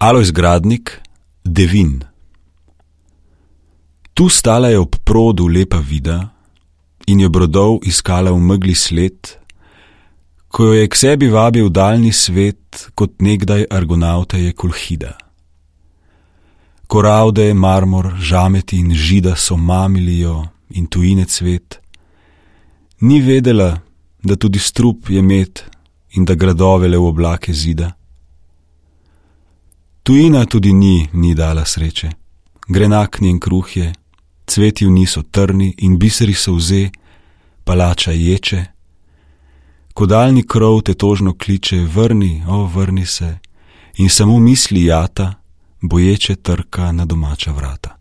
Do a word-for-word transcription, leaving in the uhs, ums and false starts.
Alojz Gradnik, Devin. Tu stala je ob produ lepa vida in je brodov iskala v megli sled, ko jo je k sebi vabil daljni svet, kot nekdaj Argonavteje Kolhida. Koralde, marmor, žameti in žida so mamili jo in tujine cvet. Ni vedela, da tudi strup je med in da gradove le v oblake zida. Tujina tudi ni, ni dala sreče. Grenak njen kruh je, cveti v njih so trni in biseri solze, palača ječe. Ko daljni krov te tožno kliče, vrni, o, vrni se, in samo misli jata, boječe trka na domača vrata.